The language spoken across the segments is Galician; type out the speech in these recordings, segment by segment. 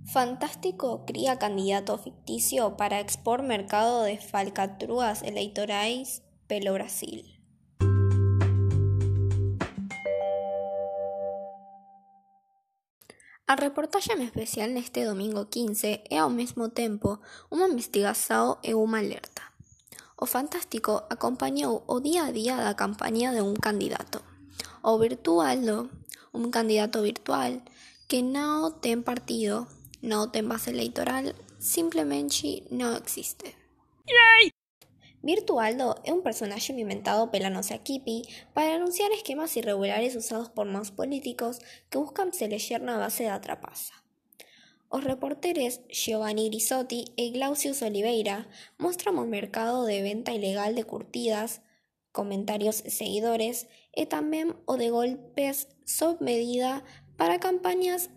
Fantástico cría candidato ficticio para expor mercado de falcatruas eleitorais pelo Brasil. A reportaxe especial neste domingo 15 é ao mesmo tempo unha investigação e unha alerta. O Fantástico acompañou o día a día da campaña de un candidato. O Virtualdo, un candidato virtual que non ten partido, non ten base electoral, simplemente non existe. Virtualdo é un personaxe inventado pela nosa equipe para anunciar esquemas irregulares usados por maus políticos que buscan se eleger na base da trapaza. Os reporteres Giovanni Grisotti e Glaucius Oliveira mostran o mercado de venta ilegal de curtidas, comentarios e seguidores e tamén o de golpes sob medida para campañas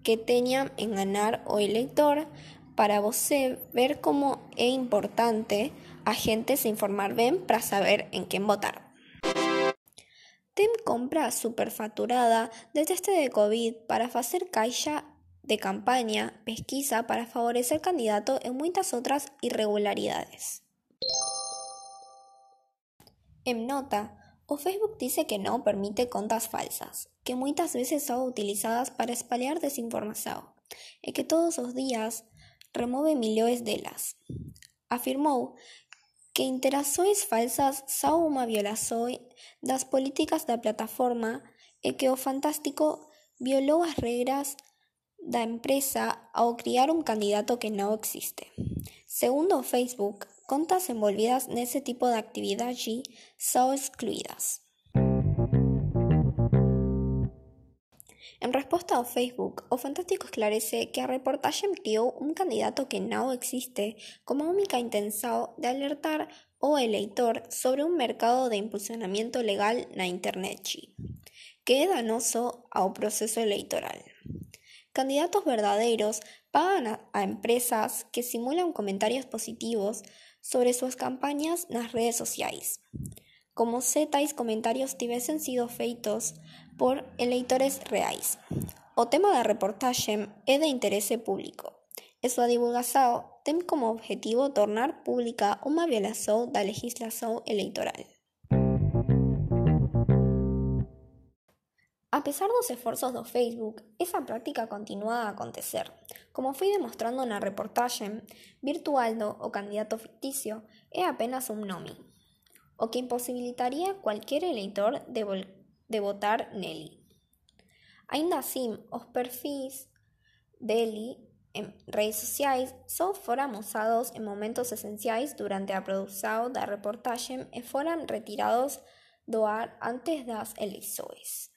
que teñan en ganar o elector para você ver como é importante a gente se informar ben para saber en quen votar. Ten compra superfaturada de teste de COVID para facer caixa de campaña, pesquisa para favorecer candidato e moitas outras irregularidades. En nota, o Facebook dice que non permite contas falsas, que moitas veces son utilizadas para espalhar desinformación e que todos os días remove millóns delas. Afirmou que interações falsas son unha violación das políticas da plataforma e que o Fantástico violou as regras da empresa ao criar un candidato que non existe. Segundo o Facebook, contas envolvidas nese tipo de actividade son excluídas. En resposta ao Facebook, o Fantástico esclarece que a reportaxe criou un candidato que non existe como única intención de alertar o eleitor sobre un mercado de impulsionamiento legal na internet, que é danoso ao proceso electoral. Candidatos verdadeiros pagan a empresas que simulan comentarios positivos sobre súas campañas nas redes sociais, como se tais comentarios tivesen sido feitos por eleitores reais. O tema da reportaxe é de interese público e súa divulgación ten como objetivo tornar pública unha violación da legislación electoral. A pesar dos esforzos do Facebook, esa práctica continúa a acontecer. Como foi demostrando na reportaxe, Virtualdo, o candidato ficticio, é apenas un nome, o que imposibilitaría cualquier eleitor de votar nele. Aínda así, os perfis dele en redes sociais só foran usados en momentos esenciais durante a produción da reportaxe e foran retirados do ar antes das eleições.